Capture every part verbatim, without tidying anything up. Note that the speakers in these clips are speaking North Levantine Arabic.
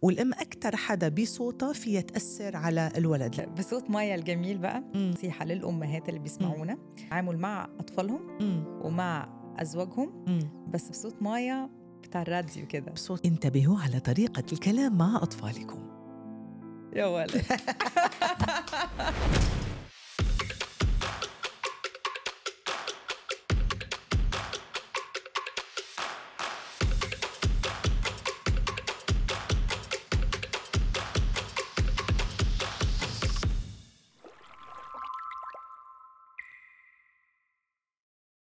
والأم أكتر حدا بصوتها فيها تأثر على الولد. بصوت مايا الجميل بقى مم. نصيحة للأمهات اللي بيسمعونا تعامل مع أطفالهم مم. ومع أزواجهم مم. بس بصوت مايا بتاع الراديو كده. بصوت انتبهوا على طريقة الكلام مع أطفالكم. يا ولد.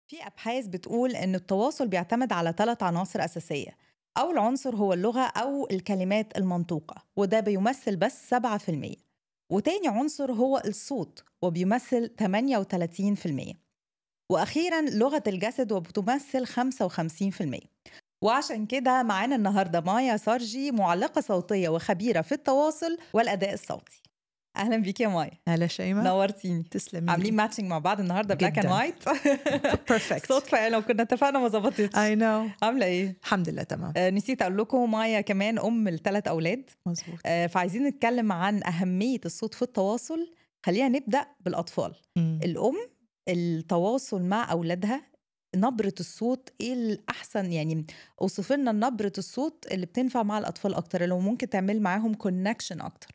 في أبحاث بتقول إن التواصل بيعتمد على ثلاث عناصر أساسية. أول عنصر هو اللغة أو الكلمات المنطوقة وده بيمثل بس سبعة في المية، وتاني عنصر هو الصوت وبيمثل ثمانية وثلاثين في المية، وأخيراً لغة الجسد وبتمثل خمسة وخمسين في المية. وعشان كده معانا النهاردة مايا سارجي معلقة صوتية وخبيرة في التواصل والأداء الصوتي. أهلا بيك يا مايا. هلا شيماء. نورتيني. تسلمي. عاملين ماتشنج مع بعض النهارده بلاك اند وايت. بيرفكت. صدفه يعني لو كنا اتفقنا ما ظبطتش. اي نو. عامله ايه؟ الحمد لله تمام. آه نسيت اقول لكم مايا كمان ام لثلاث اولاد. مزبوط. آه فعايزين نتكلم عن اهميه الصوت في التواصل. خلينا نبدا بالاطفال. مم. الام التواصل مع اولادها نبرة الصوت ايه الأحسن؟ يعني اوصف لنا نبرة الصوت اللي بتنفع مع الأطفال أكتر، لو ممكن تعمل معاهم كونكشن أكتر.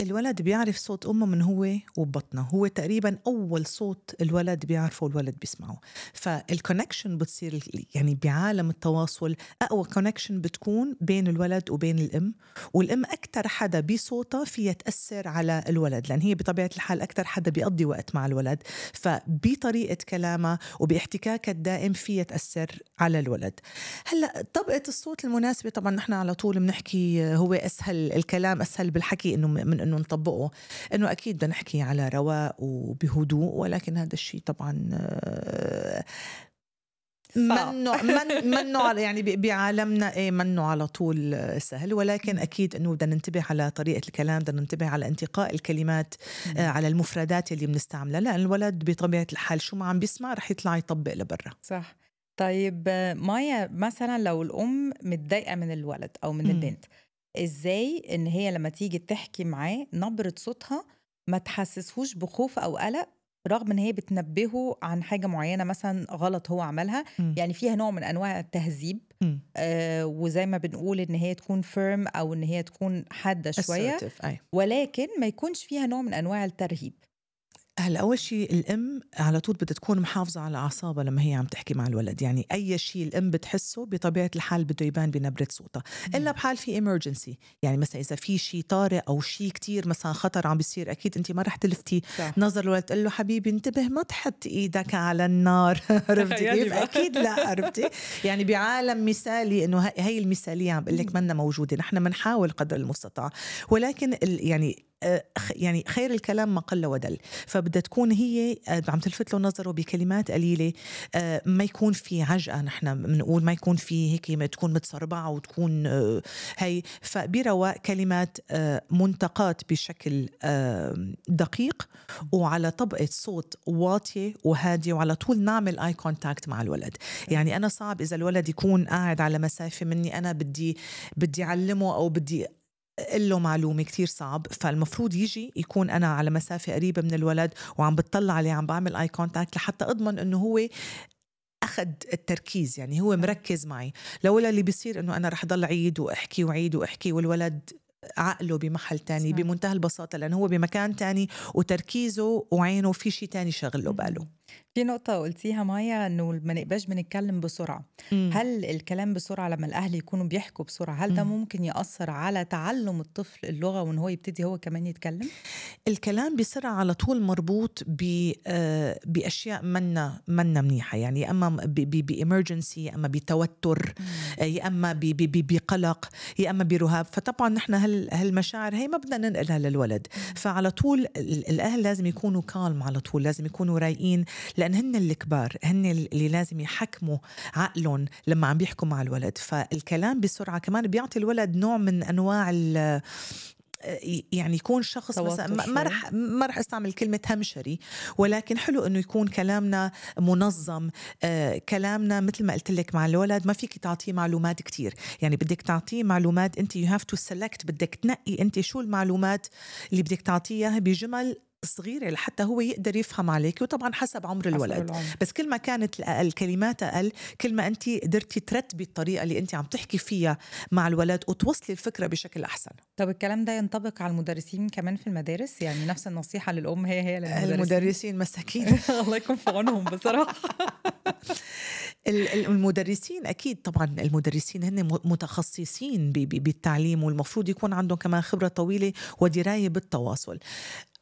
الولد بيعرف صوت أمه من هو وبطنه، هو تقريبا أول صوت الولد بيعرفه الولد بيسمعه. فالكونكشن بتصير يعني بعالم التواصل أقوى كونكشن بتكون بين الولد وبين الأم، والأم أكتر حدا بصوتها فيها تأثر على الولد لأن هي بطبيعة الحال أكتر حدا بيقضي وقت مع الولد، فبطريقة كلامها وباحتكاكها الدائم فيها تأثر على الولد. هلأ طبقة الصوت المناسبة طبعا نحن على طول بنحكي هو أسهل الكلام أسهل بالحكي إنه من إنه نطبقه، إنه أكيد بدنا نحكي على رواق وبهدوء، ولكن هذا الشيء طبعا منه من منه يعني بعالمنا إيه منه على طول سهل، ولكن أكيد إنه بدنا ننتبه على طريقة الكلام، بدنا ننتبه على انتقاء الكلمات آه على المفردات اللي بنستعملها، لأن الولد بطبيعة الحال شو ما عم بيسمع رح يطلع يطبق لبرا. صح. طيب مايا مثلا لو الأم متضايقة من الولد أو من م. البنت، إزاي إن هي لما تيجي تحكي معاه نبرة صوتها ما تحسسهوش بخوف أو قلق رغم إن هي بتنبهه عن حاجة معينة مثلا غلط هو عملها؟ م. يعني فيها نوع من أنواع التهذيب آه وزي ما بنقول إن هي تكون فيرم أو إن هي تكون حادة شوية، ولكن ما يكونش فيها نوع من أنواع الترهيب. هلا أول شيء الأم على طول بدها تكون محافظة على أعصابها لما هي عم تحكي مع الولد، يعني أي شيء الأم بتحسه بطبيعة الحال بده يبان بنبرة صوتها، إلا بحال في emergency، يعني مثلا إذا في شيء طارئ أو شيء كتير مثلا خطر عم بيصير أكيد أنت ما رح تلفتي صح. نظر الولد تقول له حبيبي انتبه ما تحط إيدك على النار. عرفتي كيف؟ أكيد لا. عرفتي يعني بعالم مثالي إنه هاي المثالية عم بقول لك منا موجودة، نحن منحاول قدر المستطاع، ولكن يعني يعني خير الكلام ما قل ودل، فبدها تكون هي عم تلفت له نظره بكلمات قليلة، ما يكون في عجقة، نحن بنقول ما يكون في هيك ما تكون متسربعة وتكون هي، فبرواق كلمات منتقات بشكل دقيق وعلى طبقة صوت واطية وهادية، وعلى طول نعمل اي كونتاكت مع الولد. يعني أنا صعب إذا الولد يكون قاعد على مسافة مني، أنا بدي بدي أعلمه أو بدي له معلومة كتير صعب، فالمفروض يجي يكون أنا على مسافة قريبة من الولد وعم بتطلع عليه عم بعمل آي كونتاكت لحتى أضمن أنه هو أخذ التركيز، يعني هو مركز معي. لولا اللي بيصير أنه أنا رح ضل عيد وأحكي وعيد وأحكي والولد عقله بمحل تاني صح. بمنتهى البساطة لأنه هو بمكان تاني وتركيزه وعينه في شيء تاني شغله باله. في نقطة قلتيها مايا إنه ما نقباش بنتكلم بسرعة. مم. هل الكلام بسرعة لما الأهل يكونوا بيحكوا بسرعة هل ده ممكن يأثر على تعلم الطفل اللغة وإن هو يبتدي هو كمان يتكلم؟ الكلام بسرعة على طول مربوط بأشياء منا منا منيحة، يعني يا أما بإمرجنسي يا أما بتوتر يا أما بقلق يا أما برهاب، فطبعا نحن هالمشاعر هي ما بدنا ننقلها للولد. مم. فعلى طول الأهل لازم يكونوا كالم، على طول لازم يكونوا رايقين، لأن هن الكبار هن اللي لازم يحكموا عقلهم لما عم بيحكوا مع الولد. فالكلام بسرعة كمان بيعطي الولد نوع من أنواع يعني يكون شخص مثلا توتر ما شوي. رح ما رح استعمل كلمة همشري، ولكن حلو إنه يكون كلامنا منظم. آه كلامنا مثل ما قلت لك مع الولد ما فيك تعطيه معلومات كتير، يعني بدك تعطيه معلومات أنت you have to select، بدك تنقي أنت شو المعلومات اللي بدك تعطيها بجمل صغيرة لحتى هو يقدر يفهم عليك، وطبعا حسب عمر الولد. العمر. بس كل ما كانت الكلمات أقل كل ما أنت قدرتي ترتبي الطريقة اللي أنت عم تحكي فيها مع الولد وتوصلي الفكرة بشكل أحسن. طب الكلام ده ينطبق على المدرسين كمان في المدارس؟ يعني نفس النصيحة للأم هي هي للمدرسين؟ المدرسين مساكين الله يكون في عونهم بصراحة. المدرسين أكيد طبعا المدرسين هن متخصصين بالتعليم، والمفروض يكون عندهم كمان خبرة طويلة ودراية بالتواصل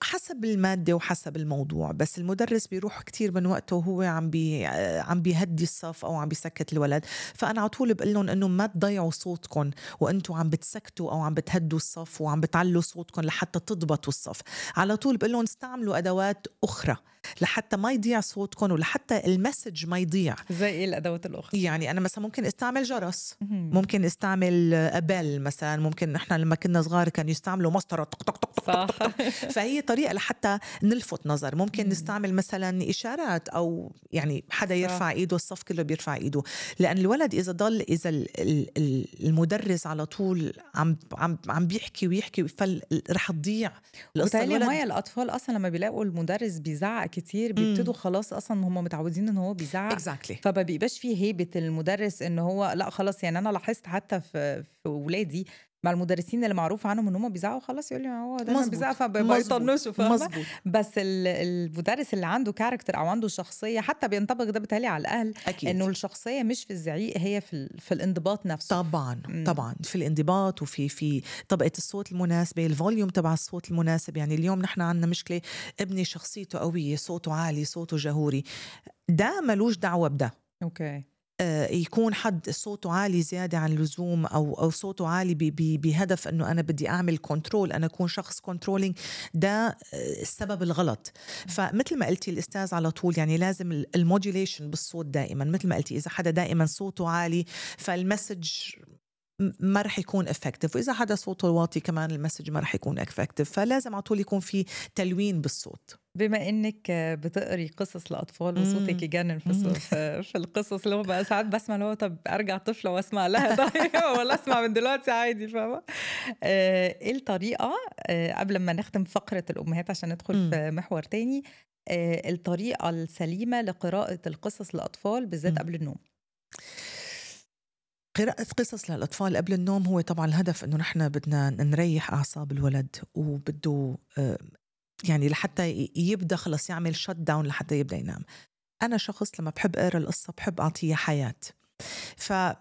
حسب المادة وحسب الموضوع. بس المدرس بيروح كتير من وقته وهو عم بي عم بيهدي الصف أو عم بيسكت الولد. فأنا على طول بقول لهم إنه ما تضيعوا صوتكم وأنتوا عم بتسكتوا أو عم بتهدوا الصف وعم بتعلوا صوتكم لحتى تضبطوا الصف. على طول بقول لهم استعملوا أدوات أخرى لحتى ما يضيع صوتكم ولحتى المسج ما يضيع. زي إيه الأدوات الأخرى؟ يعني أنا مثلا ممكن استعمل جرس، ممكن استعمل أبل مثلا، ممكن نحن لما كنا صغار كانوا يستعملوا مسطرة طق طق طق صح. فهي طريقة لحتى نلفت نظر. ممكن نستعمل مثلا إشارات أو يعني حدا يرفع إيده الصف كله بيرفع إيده، لأن الولد إذا ضل إذا المدرس على طول عم عم عم بيحكي ويحكي فرح تضيع القصة. الولد هاي الأطفال أصلا لما بيلاقوا المدرس بيزعق كتير بيبتدوا خلاص أصلا هم متعودين إن هو بيزعق exactly. فما بيبقاش فيه هيبة المدرس إن هو لا خلاص. يعني أنا لاحظت حتى في في ولادي مع المدرسين اللي معروف عنهم ان هم بيزعقوا خلاص يقول لي هو ده بيزعق فبيطنشوا فاهمه. بس المدرس اللي عنده كاركتر او عنده شخصيه حتى بينطبق ده بتالي على الاهل أكيد. انه الشخصيه مش في الزعيق، هي في في الانضباط نفسه. طبعا م. طبعا في الانضباط وفي في طبقه الصوت المناسبه، الفوليوم تبع الصوت المناسب. يعني اليوم نحن عندنا مشكله ابني شخصيته قويه، صوته عالي، صوته جهوري، ده ملوش دعوه بده. اوكي يكون حد صوته عالي زيادة عن اللزوم أو أو صوته عالي بهدف إنه أنا بدي أعمل كنترول، أنا أكون شخص كنترولينج، ده السبب الغلط. فمثل ما قلتي الأستاذ على طول يعني لازم الموديوليشن بالصوت دائما. مثل ما قلتي إذا حدا دائما صوته عالي فالمسج ما رح يكون effective، وإذا حدا صوته واطي كمان المسج ما رح يكون effective. فلازم على طول يكون في تلوين بالصوت. بما انك بتقري قصص لاطفال وصوتك يجنن في, في القصص اللي هو بقى ساعات بسمع اللي هو طب ارجع طفله واسمع لها طيب ولا اسمع من دلوقتي عادي فاهمه. ايه الطريقه قبل ما نختم فقره الامهات عشان ندخل في محور تاني، الطريقه السليمه لقراءه القصص للاطفال بالذات قبل النوم؟ قراءة قصص للأطفال قبل النوم هو طبعا الهدف إنه نحن بدنا نريح أعصاب الولد، وبده يعني لحتى يبدأ خلص يعمل شت داون لحتى يبدأ ينام. أنا شخص لما بحب أقرأ القصة بحب أعطيه حياة، فلازم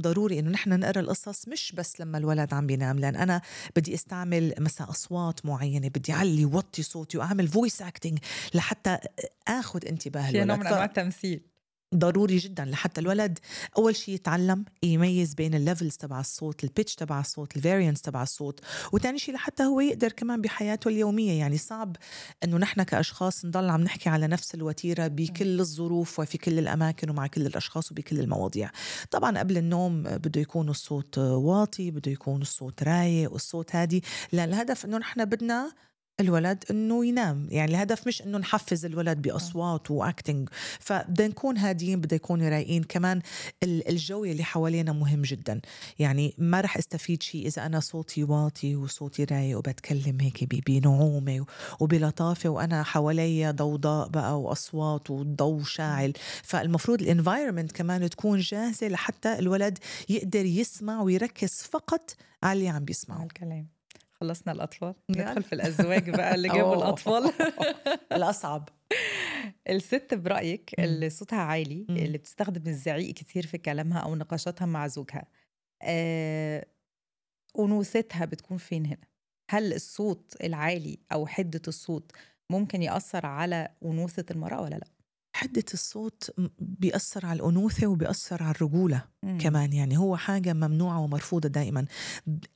ضروري إنه نحن نقرأ القصص مش بس لما الولد عم بينام، لأن أنا بدي استعمل مثلا أصوات معينة، بدي علي وطي صوتي وأعمل فويس أكتينج لحتى أخذ انتباه الولد. نوع من أنواع التمثيل ضروري جدا لحتى الولد أول شيء يتعلم يميز بين الليفلز تبع الصوت، البيتش تبع الصوت، الفاريانس تبع الصوت، وتاني شيء لحتى هو يقدر كمان بحياته اليومية. يعني صعب أنه نحن كأشخاص نضل عم نحكي على نفس الوتيرة بكل الظروف وفي كل الأماكن ومع كل الأشخاص وبكل المواضيع. طبعا قبل النوم بده يكون الصوت واطي، بده يكون الصوت رايق والصوت هادي، لأن الهدف أنه نحن بدنا الولد إنه ينام. يعني الهدف مش إنه نحفز الولد بأصوات وأكتنج، فبدنا نكون هادين، بدنا نكون رايقين. كمان الجو اللي حوالينا مهم جدا. يعني ما رح استفيد شيء إذا أنا صوتي واطي وصوتي رايق وبتكلم هيك بنعومة وبلطافة وأنا حوالي ضوضاء بقى وأصوات وضوء شاعل. فالمفروض الانفايرمنت كمان تكون جاهزة لحتى الولد يقدر يسمع ويركز فقط على اللي عم بيسمعه. الكلام. خلصنا الأطفال، ندخل في الأزواج بقى اللي جابوا الأطفال الأصعب. الست برأيك اللي صوتها عالي، اللي بتستخدم الزعيق كتير في كلامها أو نقاشاتها مع زوجها، آه، أنوثتها بتكون فين هنا؟ هل الصوت العالي أو حدة الصوت ممكن يأثر على أنوثة المرأة ولا لأ؟ حدة الصوت بيأثر على الأنوثة وبيأثر على الرجولة مم. كمان. يعني هو حاجة ممنوعة ومرفوضة دائما.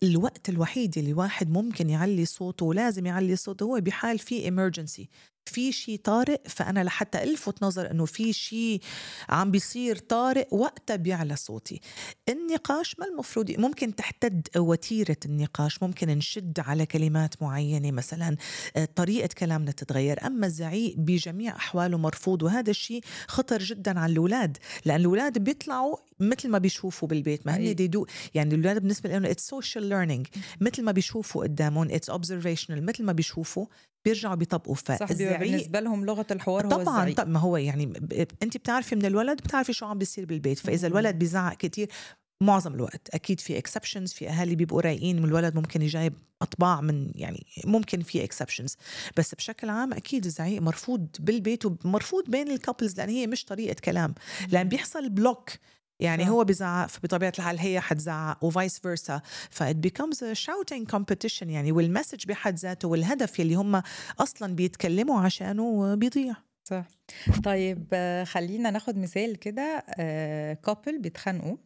الوقت الوحيد اللي واحد ممكن يعلي صوته ولازم يعلي صوته هو بحال فيه emergency، في شيء طارئ، فأنا لحتى ألفت نظر إنه في شيء عم بيصير طارئ وقتها بيعلى صوتي. النقاش ما المفروض ممكن تحتد وتيرة النقاش، ممكن نشد على كلمات معينة مثلا، طريقة كلامنا تتغير. أما الزعيق بجميع أحواله مرفوض، وهذا الشيء خطر جدا على الأولاد، لأن الأولاد بيطلعوا مثل ما بيشوفوا بالبيت، ما هن ديدو يعني الأولاد بالنسبة لهم it's social learning، مثل ما بيشوفوا قدامهم it's observational، مثل ما بيشوفوا بيرجعوا بيطبقوا. فالزعيق بالنسبة لهم لغة الحوار هو طبعا الزعيق. طبعا ما هو يعني ب... انت بتعرفي من الولد، بتعرفي شو عم بيصير بالبيت. فإذا الولد بيزعق كتير معظم الوقت، أكيد في exceptions، في أهالي بيبقوا رايقين من الولد ممكن يجايب أطباع من يعني ممكن في exceptions، بس بشكل عام أكيد الزعيق مرفوض بالبيت ومرفوض بين الكابلز، لأن هي مش طريقة كلام، لأن بيحصل بلوك. يعني هو بيزعق فبطبيعة الحال هي حتزعق وفايس فيرسا، فإت becomes a shouting competition يعني، والمسج بحد ذاته والهدف اللي هم أصلا بيتكلموا عشانه بيضيع. صح. طيب خلينا ناخد مثال كده، كابل بيتخانقوا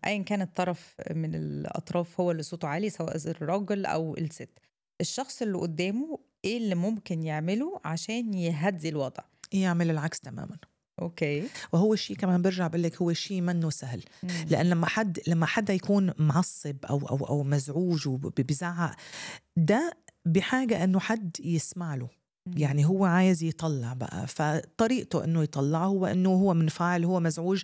أيا كان الطرف من الأطراف هو اللي صوته عالي، سواء الراجل أو الست، الشخص اللي قدامه إيه اللي ممكن يعمله عشان يهدي الوضع؟ يعمل العكس تماما. اوكي. وهو شيء كمان برجع بقول لك هو شيء منه سهل، مم. لأن لما حد لما حدا يكون معصب أو أو أو مزعوج وبيزعق، ده بحاجة إنه حد يسمع له. مم. يعني هو عايز يطلع بقى، فطريقته إنه يطلع هو إنه هو منفعل، هو مزعوج.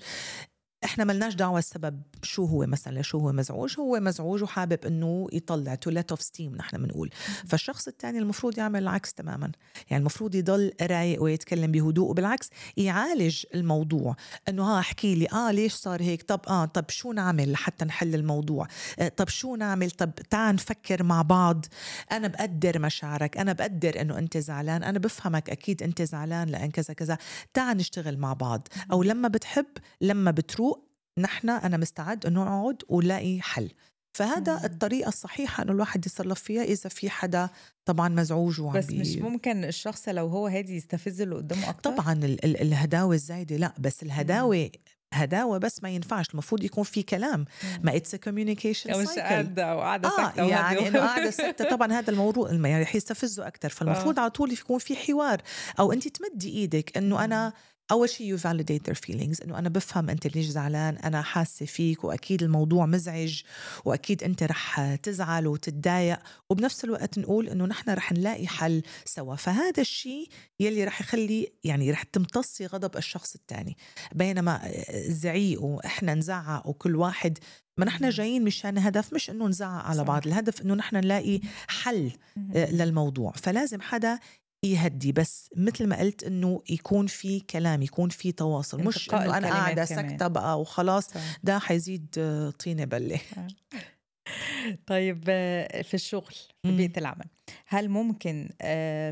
إحنا ملناش دعوة السبب شو هو، مثلا شو هو مزعوج، هو مزعوج وحابب إنه يطلع to let off steam نحن بنقول. فالشخص الثاني المفروض يعمل العكس تماما، يعني المفروض يضل رايق ويتكلم بهدوء، وبالعكس يعالج الموضوع، إنه ها احكي لي آه ليش صار هيك، طب آه طب شو نعمل لحتى نحل الموضوع، آه طب شو نعمل، طب تعال نفكر مع بعض، أنا بقدر مشاعرك، أنا بقدر إنه أنت زعلان، أنا بفهمك أكيد أنت زعلان لأن كذا كذا، تعال نشتغل مع بعض. أو لما بتحب لما بتروق نحن أنا مستعد أنه نقعد ولاقي حل. فهذا مم. الطريقة الصحيحة أنه الواحد يصرف فيها إذا في حدا طبعا مزعوج وعم بس بي... مش ممكن الشخص لو هو هادي يستفز اللي قدامه أكتر؟ طبعا ال- ال- الهداوة الزايدة لا، بس الهداوة هداوة بس ما ينفعش، المفروض يكون في كلام، ما it's a communication مش cycle. قاعدة وقاعدة آه ساكتة يعني إنه قاعدة ساكتة طبعا هذا الموضوع يعني رح يستفزه أكتر. فالمفروض على طول يكون في حوار، أو أنت تمدي إيدك إنه أنا أول شيء you validate their feelings، إنه أنا بفهم أنت ليش زعلان، أنا حاسة فيك، وأكيد الموضوع مزعج، وأكيد أنت رح تزعل وتتضايق، وبنفس الوقت نقول إنه نحن رح نلاقي حل سوا. فهذا الشيء يلي رح يخلي يعني رح تمتصي غضب الشخص الثاني. بينما الزعيق وإحنا نزعق وكل واحد، ما نحن جايين مشان هدف مش إنه نزعق على بعض، الهدف إنه نحن نلاقي حل للموضوع. فلازم حدا يهدي، بس مثل ما قلت إنه يكون في كلام، يكون في تواصل، مش إنه أنا قاعدة سكتة بقى وخلاص، ده حيزيد طينة بلة. طيب في الشغل في بيئة العمل، هل ممكن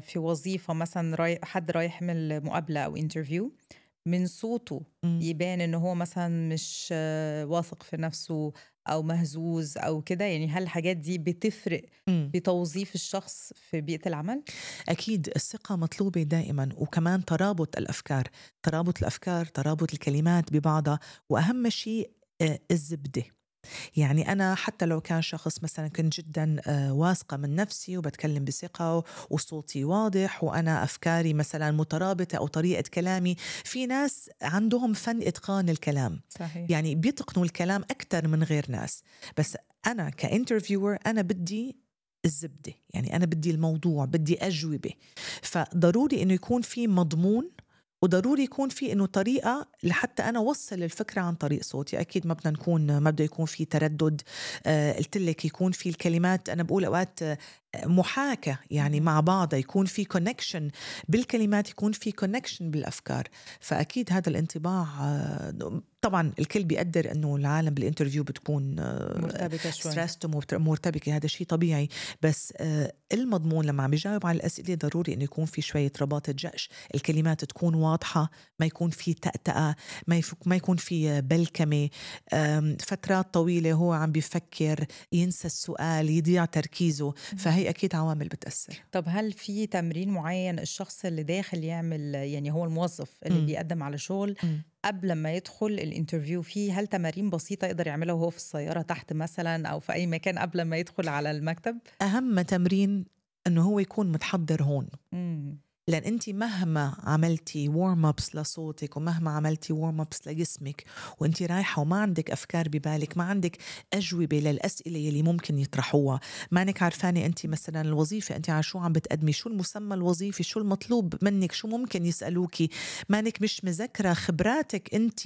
في وظيفة مثلا راي حد رايح يعمل مقابلة أو انترفيو من صوته يبان إنه هو مثلا مش واثق في نفسه أو مهزوز أو كده؟ يعني هل الحاجات دي بتفرق بتوظيف الشخص في بيئة العمل؟ أكيد الثقة مطلوبة دائما، وكمان ترابط الأفكار، ترابط الأفكار، ترابط الكلمات ببعضها، وأهم شيء الزبدة. يعني أنا حتى لو كان شخص مثلا كنت جدا واثقة من نفسي وبتكلم بثقة وصوتي واضح وأنا أفكاري مثلا مترابطة أو طريقة كلامي، في ناس عندهم فن إتقان الكلام. صحيح. يعني بيتقنوا الكلام أكتر من غير ناس، بس أنا كإنترفيور أنا بدي الزبدة، يعني أنا بدي الموضوع، بدي أجوبة. فضروري إنه يكون في مضمون، وضروري يكون في إنه طريقة لحتى أنا وصل الفكرة عن طريق صوتي. أكيد ما بدنا نكون ما بده يكون في تردد. آه قلت لك يكون في الكلمات، أنا بقول أوقات محاكاة يعني مع بعض، يكون في كونكشن بالكلمات، يكون في كونكشن بالأفكار. فأكيد هذا الانطباع آه طبعا الكل بيقدر أنه العالم بالانترفيو بتكون مرتبكة شوي، ستريسد ومرتبكة، هذا شيء طبيعي. بس المضمون لما عم يجاوب على الأسئلة ضروري أنه يكون في شوية رباطة جأش، الكلمات تكون واضحة، ما يكون في تأتأة، ما يكون في بلكمة، فترات طويلة هو عم بيفكر، ينسى السؤال، يضيع تركيزه. فهي أكيد عوامل بتأثر. طب هل في تمرين معين الشخص اللي داخل يعمل، يعني هو الموظف اللي م. بيقدم على شغل م. قبل ما يدخل الانترفيو فيه، هل تمارين بسيطة يقدر يعملها وهو في السيارة تحت مثلا أو في أي مكان قبل ما يدخل على المكتب؟ أهم تمرين أنه هو يكون متحضر هون. م. لأن أنت مهما عملتي وارم أبس لصوتك ومهما عملتي وارم أبس لجسمك وأنت رايحة وما عندك أفكار ببالك، ما عندك أجوبة للأسئلة يلي ممكن يطرحوها، ما أنك عارفاني أنت مثلا الوظيفة أنت على شو عم بتقدمي، شو المسمى الوظيفي، شو المطلوب منك، شو ممكن يسألوكي، ما أنك مش مذكرة خبراتك أنت،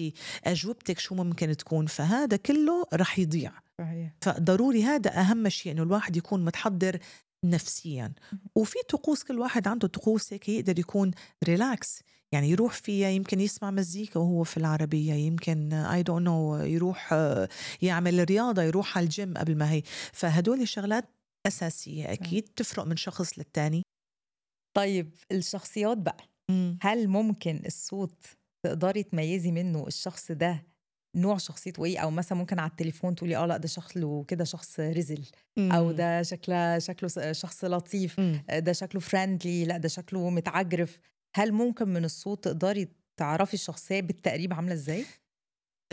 أجوبتك شو ممكن تكون، فهذا كله رح يضيع. صحيح. فضروري هذا أهم شيء إنه الواحد يكون متحضر نفسيا. وفي طقوس كل واحد عنده طقوس هيك يقدر يكون ريلاكس، يعني يروح فيها، يمكن يسمع مزيكا وهو في العربية، يمكن I don't know يروح يعمل رياضة، يروح على الجيم قبل ما هي. فهدول شغلات أساسية أكيد تفرق من شخص للتاني. طيب الشخصيات بقى، مم. هل ممكن الصوت تقدري تميزي منه الشخص ده نوع شخصيته ايه؟ او مثلا ممكن على التليفون تقولي اه لا ده شكله كده شخص رزل، او مم. ده شكله شكله شخص لطيف، مم. ده شكله فريندلي، لا ده شكله متعجرف. هل ممكن من الصوت تقدري تعرفي الشخصية بالتقريب عاملة ازاي؟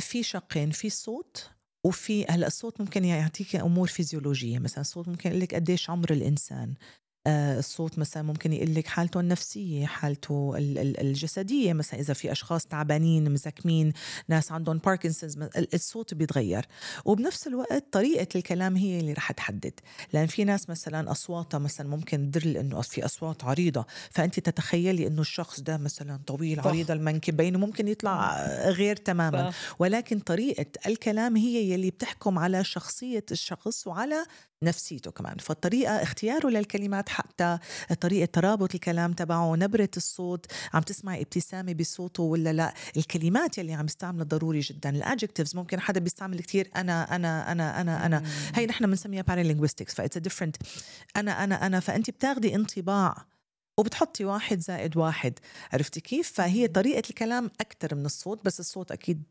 في شقين، في الصوت وفي هلا الصوت ممكن يعطيك امور فيزيولوجيه، مثلا الصوت ممكن يقول لك قديش عمر الانسان، آه الصوت مثلا ممكن يقول لك حالته النفسيه، حالته ال- ال- الجسديه، مثلا اذا في اشخاص تعبانين مزكمين، ناس عندهم باركنسونز، الصوت بيتغير. وبنفس الوقت طريقه الكلام هي اللي رح تحدد، لان في ناس مثلا اصواتها مثلا ممكن تدل انه في اصوات عريضه، فانت تتخيلي انه الشخص ده مثلا طويل عريض المنكبين وممكن يطلع غير تماما. ولكن طريقه الكلام هي يلي بتحكم على شخصيه الشخص وعلى نفسيته كمان. فالطريقة اختياره للكلمات، حتى طريقة ترابط الكلام تبعه، نبرة الصوت، عم تسمعي ابتسامة بصوته ولا لا، الكلمات يلي عم يستعمل ضروري جدا. الادجكتيفز ممكن حدا بيستعمل كتير أنا أنا أنا أنا أنا هي نحن بنسميها paralinguistics، فإتس different أنا أنا أنا فأنت بتاخدي انطباع وبتحطي واحد زائد واحد، عرفتي كيف؟ فهي طريقة الكلام أكتر من الصوت، بس الصوت أكيد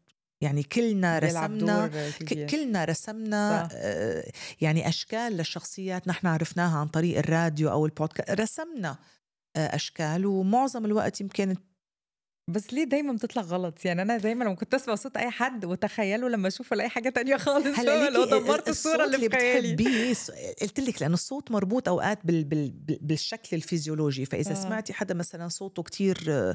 يعني كلنا رسمنا كلنا رسمنا آه يعني أشكال للشخصيات نحن عرفناها عن طريق الراديو أو البودكاست، رسمنا آه أشكال، ومعظم الوقت يمكن. بس ليه دايما بتطلع غلط؟ يعني انا دايما لما كنت اسمع صوت اي حد وتخيله لما اشوفه الاقي حاجه تانية خالص، هلا لو دمرت الصوره اللي في خيالي. قلت لك لأن الصوت مربوط اوقات بال بال بالشكل الفيزيولوجي، فاذا آه. سمعتي حدا مثلا صوته كتير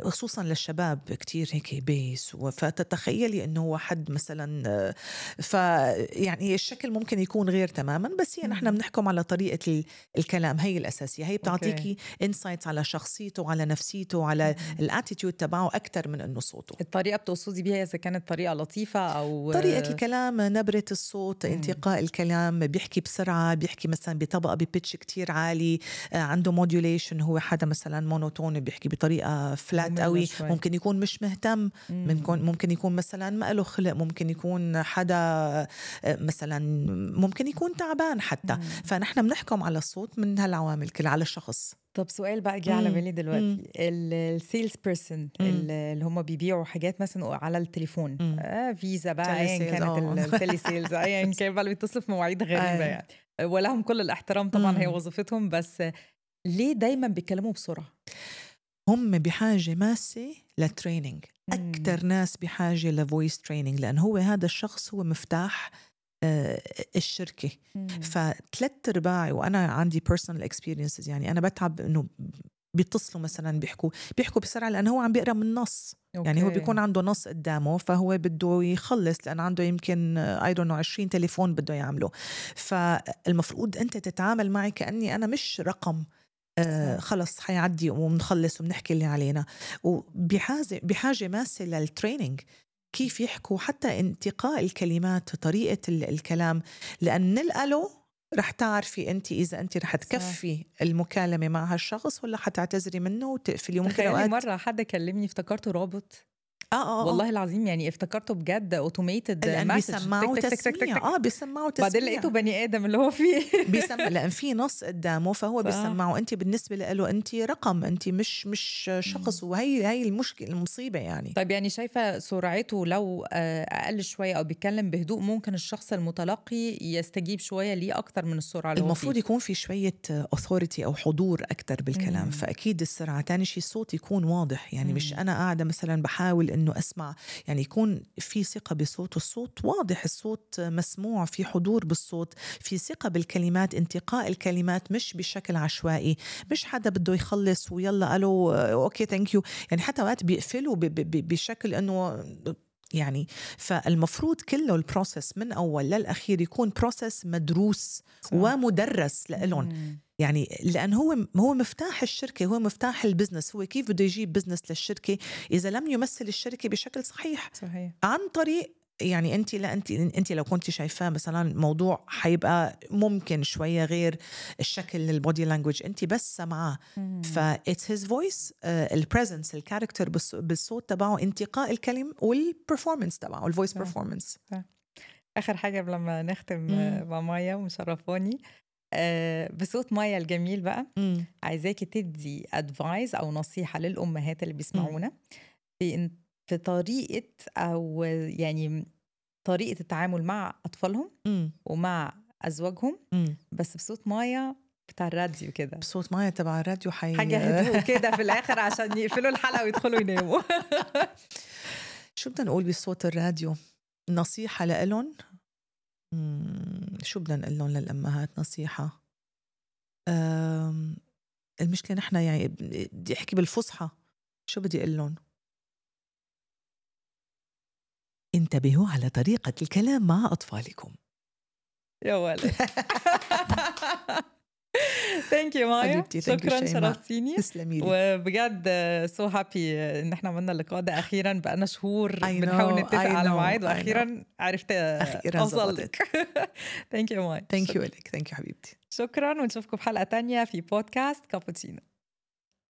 خصوصا للشباب كتير هيك بيس، فتتخيلي انه هو حد مثلا، فيعني الشكل ممكن يكون غير تماما، بس هي نحن بنحكم على طريقه الكلام، هي الاساسيه، هي بتعطيكي انسايتس على شخصيته وعلى نفسيته وعلى الاتيتيود تبعه اكثر من انه صوته. الطريقه بتقصدي بيها اذا كانت طريقه لطيفه او طريقه الكلام، نبره الصوت، مم. انتقاء الكلام، بيحكي بسرعه، بيحكي مثلا بطبقه ببيتش كتير عالي، عنده موديوليشن، هو حدا مثلا مونوتون بيحكي بطريقه فلات قوي، ممكن يكون مش مهتم، ممكن ممكن يكون مثلا ما له خلق، ممكن يكون حدا مثلا ممكن يكون تعبان حتى. مم. فنحن بنحكم على الصوت من هالعوامل كلها على الشخص. طب سؤال بقى جه على بالي دلوقتي، السيلز بيرسون اللي هم بيبيعوا حاجات مثلا على التليفون، آه فيزا بقى ايا كانت التلي سيلز ايا كان بقى، بيتصلوا في مواعيد غريبه يعني، ولهم كل الاحترام طبعا، هي وظيفتهم، بس ليه دايما بيتكلموا بسرعه؟ هم بحاجه ماسه للتريننج، اكثر ناس بحاجه لفويس تريننج، لان هو هذا الشخص هو مفتاح الشركة. فثلاث ارباعي، وانا عندي personal experiences، يعني انا بتعب انه بيتصلوا مثلا بيحكوا بيحكوا بسرعه لانه هو عم بيقرا من نص. أوكي. يعني هو بيكون عنده نص قدامه، فهو بده يخلص لان عنده يمكن I don't know عشرين تليفون بده يعمله. فالمفروض انت تتعامل معي كاني انا مش رقم، آه خلص حيعدي ومنخلص وبنحكي اللي علينا. وبحاجه بحاجه ماسه للتريننج، كيف يحكوا، حتى انتقاء الكلمات، طريقة الكلام، لأن نلقله رح تعرفي أنت إذا أنت رح تكفي المكالمة مع هالشخص ولا حتعتذري منه وتقفلي. ممكن أوقات مرة حدا كلمني افتكرته رابط، آه آه والله العظيم يعني افتكرته بجد اوتوميتد مسج، بيسمعوا تسميع، اه بيسمعوا تسميع، بعدين لقيته بني ادم اللي هو فيه بيسمع، لان في نص قدامه فهو بيسمعه. انت بالنسبه له انت رقم، انت مش مش شخص، وهي هي المشكله المصيبه يعني. طيب يعني شايفه سرعته لو اقل شويه او بيتكلم بهدوء، ممكن الشخص المتلقي يستجيب شويه ليه اكتر من السرعه اللي المفروض يكون في شويه authority او حضور اكتر بالكلام. مم. فاكيد السرعه. تاني شيء الصوت يكون واضح، يعني مم. مش انا قاعده مثلا بحاول إنه أسمع، يعني يكون في ثقة بصوت، الصوت واضح، الصوت مسموع، في حضور بالصوت، في ثقة بالكلمات، انتقاء الكلمات مش بشكل عشوائي، مش حدا بده يخلص ويلا قالوا أوكي ثانك يو، يعني حتى وقت بيقفلوا بشكل إنه يعني. فالمفروض كله البروسس من أول للأخير يكون بروسس مدروس صح. ومدرس لإلهم، مم. يعني لأن هو هو مفتاح الشركة، هو مفتاح البزنس، هو كيف بده يجيب بزنس للشركة إذا لم يمثل الشركة بشكل صحيح صحيح. عن طريق يعني أنت لا أنت أنت لو كنت شايفاه مثلا موضوع حيبقى ممكن شوية غير الشكل البودي لانجويج، أنت بس سمعاه فا it's his voice، البريزنس الكاركتر بالصوت تبعه، انتقاء الكلم والبرفورمانس تبعه الفويس برفورمانس. آخر حاجة قبل ما نختم مم. مع مايا ومشرفوني آه، بصوت مايا الجميل بقى، مم. عايزاكي تدي أدفايز أو نصيحة للأمهات اللي بيسمعونا في في طريقة أو يعني طريقة التعامل مع أطفالهم مم. ومع أزواجهم، مم. بس بصوت مايا بتاع الراديو كده، بصوت مايا تبع الراديو حي... حاجة هدوء كده في الآخر عشان يقفلوا الحلقة ويدخلوا يناموا. شو بدنا نقول بصوت الراديو؟ نصيحة لإلهم؟ شو بدنا نقول لهم للأمهات نصيحة؟ أم... المشكلة نحن يعني بدي أحكي بالفصحى، شو بدي أقول لهم؟ انتبهوا على طريقة الكلام مع أطفالكم. يا ولد. ثانك يو مايا، شكرا شرفتيني. تسلمي لي وبجد سو هابي ان احنا عملنا اللقاء ده اخيرا، بقالنا شهور بنحاول نتفق على ميعاد واخيرا عرفت اوصل لك. ثانك يو مايا. ثانك يو لك، ثانك يو حبيبتي. شكرا، ونشوفكم في حلقة تانية في بودكاست كابوتشينو.